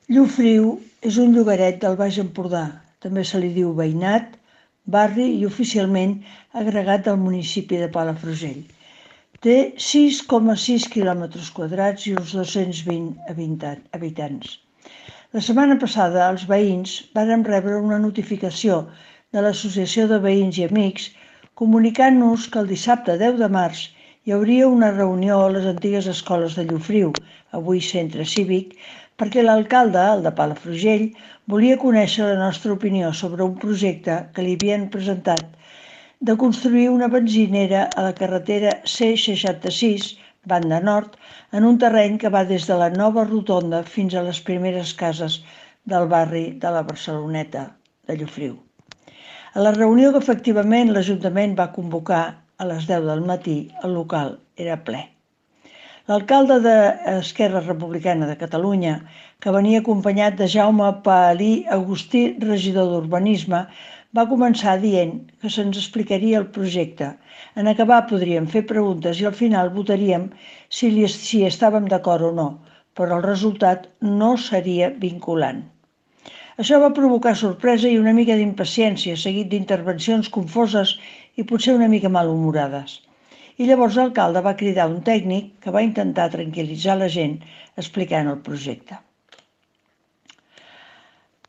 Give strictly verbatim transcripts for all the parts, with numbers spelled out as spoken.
Llofriu és un llogaret del Baix Empordà, també se li diu veïnat, barri i oficialment agregat del municipi de Palafrugell. Té sis coma sis quilòmetres quadrats i uns dos-cents vint habitants. La setmana passada els veïns varen rebre una notificació de l'Associació de Veïns i Amics comunicant-nos que el dissabte deu de març hi hauria una reunió a les antigues escoles de Llofriu, avui centre cívic, perquè l'alcalde, el de Palafrugell, volia conèixer la nostra opinió sobre un projecte que li havien presentat de construir una benzinera a la carretera C seixanta-sis, banda nord, en un terreny que va des de la nova rotonda fins a les primeres cases del barri de la Barceloneta de Llofriu. A la reunió que efectivament l'Ajuntament va convocar a les deu del matí, el local era ple. L'alcalde d'Esquerra Republicana de Catalunya, que venia acompanyat de Jaume Pahalí Agustí, regidor d'Urbanisme, va començar dient que se'ns explicaria el projecte. En acabar podríem fer preguntes i al final votaríem si, li, si estàvem d'acord o no, però el resultat no seria vinculant. Això va provocar sorpresa i una mica d'impaciència, seguit d'intervencions confoses i potser una mica malhumorades. I llavors l'alcalde va cridar un tècnic que va intentar tranquil·litzar la gent explicant el projecte.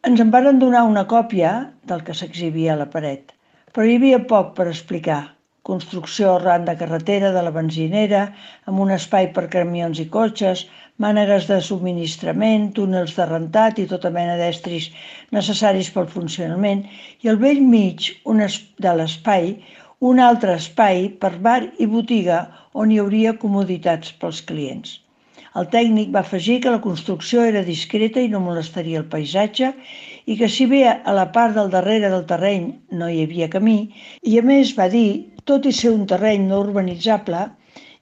Ens en varen donar una còpia del que s'exhibia a la paret, però hi havia poc per explicar. Construcció arran de carretera de la benzinera, amb un espai per camions i cotxes, mànegues de subministrament, túnels de rentat i tota mena d'estris necessaris pel funcionament, i al vell mig de l'espai un altre espai per bar i botiga on hi hauria comoditats pels clients. El tècnic va afegir que la construcció era discreta i no molestaria el paisatge i que si bé a la part del darrere del terreny no hi havia camí, i a més va dir, tot i ser un terreny no urbanitzable,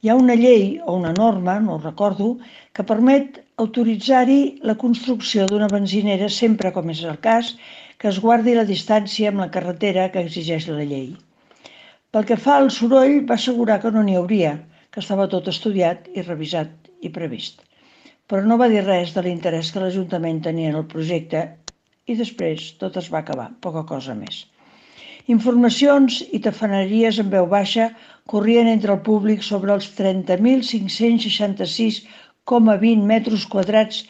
hi ha una llei o una norma, no ho recordo, que permet autoritzar-hi la construcció d'una benzinera sempre, com és el cas, que es guardi la distància amb la carretera que exigeix la llei. Pel que fa al soroll, va assegurar que no n'hi hauria, que estava tot estudiat i revisat i previst. Però no va dir res de l'interès que l'Ajuntament tenia en el projecte i després tot es va acabar, poca cosa més. Informacions i tafaneries en veu baixa corrien entre el públic sobre els trenta mil cinc-cents seixanta-sis coma vint metres quadrats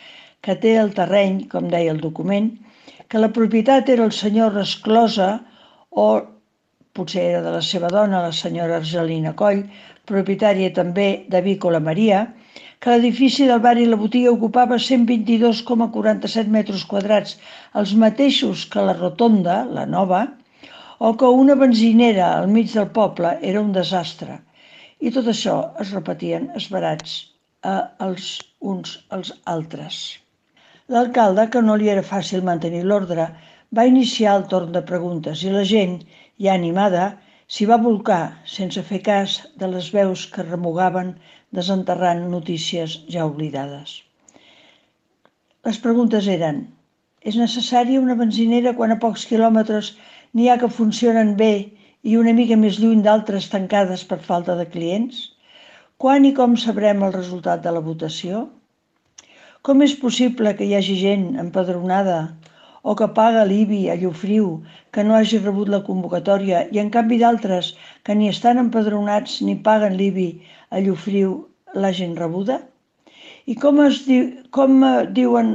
que té el terreny, com deia el document, que la propietat era el senyor Resclosa o potser era de la seva dona, la senyora Argelina Coll, propietària també d'Avícola Maria, que l'edifici del bar i la botiga ocupava cent vint-i-dos coma quaranta-set metres quadrats, els mateixos que la rotonda, la nova, o que una benzinera al mig del poble era un desastre. I tot això es repetien esverats els uns als altres. L'alcalde, que no li era fàcil mantenir l'ordre, va iniciar el torn de preguntes i la gent, ja animada, s'hi va bolcar sense fer cas de les veus que remugaven desenterrant notícies ja oblidades. Les preguntes eren: és necessària una benzinera quan a pocs quilòmetres n'hi ha que funcionen bé i una mica més lluny d'altres tancades per falta de clients? Quan i com sabrem el resultat de la votació? Com és possible que hi hagi gent empadronada o que paga l'I B I a Llofriu que no hagi rebut la convocatòria i en canvi d'altres que ni estan empadronats ni paguen l'I B I a Llofriu l'hagin rebuda? I com es diu, com diuen,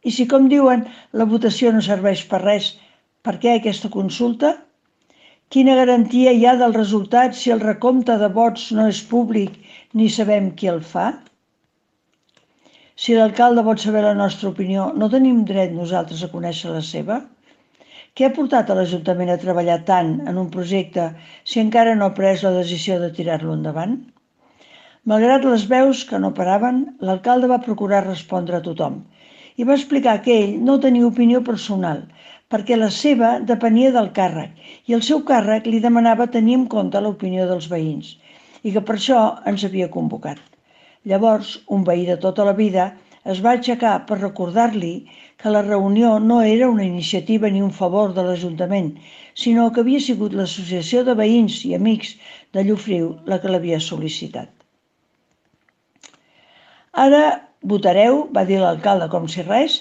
i si com diuen la votació no serveix per res, per què aquesta consulta? Quina garantia hi ha del resultat si el recompte de vots no és públic ni sabem qui el fa? Si l'alcalde vol saber la nostra opinió, no tenim dret nosaltres a conèixer la seva? Què ha portat a l'Ajuntament a treballar tant en un projecte si encara no ha pres la decisió de tirar-lo endavant? Malgrat les veus que no paraven, l'alcalde va procurar respondre a tothom i va explicar que ell no tenia opinió personal perquè la seva depenia del càrrec i el seu càrrec li demanava tenir en compte l'opinió dels veïns i que per això ens havia convocat. Llavors, un veí de tota la vida es va aixecar per recordar-li que la reunió no era una iniciativa ni un favor de l'Ajuntament, sinó que havia sigut l'Associació de Veïns i Amics de Llofriu la que l'havia sol·licitat. Ara Votareu, va dir l'alcalde com si res,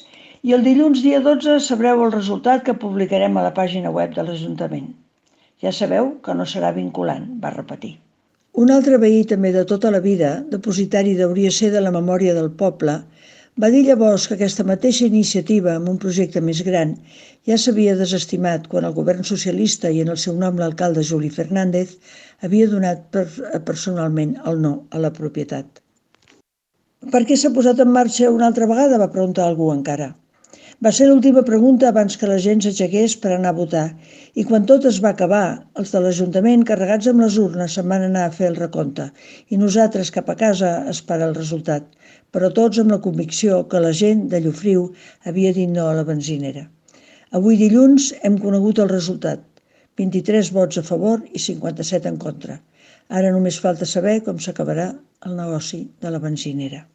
i el dilluns dia dotze sabreu el resultat que publicarem a la pàgina web de l'Ajuntament. Ja sabeu que no serà vinculant, va repetir. Un altre veí també de tota la vida, depositari hauria de ser de la memòria del poble, va dir llavors que aquesta mateixa iniciativa, amb un projecte més gran, ja s'havia desestimat quan el govern socialista i en el seu nom l'alcalde Juli Fernández havia donat per, personalment el no a la propietat. Per què s'ha posat en marxa una altra vegada? Va preguntar algú encara. Va ser l'última pregunta abans que la gent s'aixequés per anar a votar, i quan tot es va acabar, els de l'Ajuntament, carregats amb les urnes, se'n van anar a fer el recompte, i nosaltres cap a casa a esperar el resultat, però tots amb la convicció que la gent de Llofriu havia dit no a la benzinera. Avui dilluns hem conegut el resultat, vint-i-tres vots a favor i cinquanta-set en contra. Ara només falta saber com s'acabarà el negoci de la benzinera.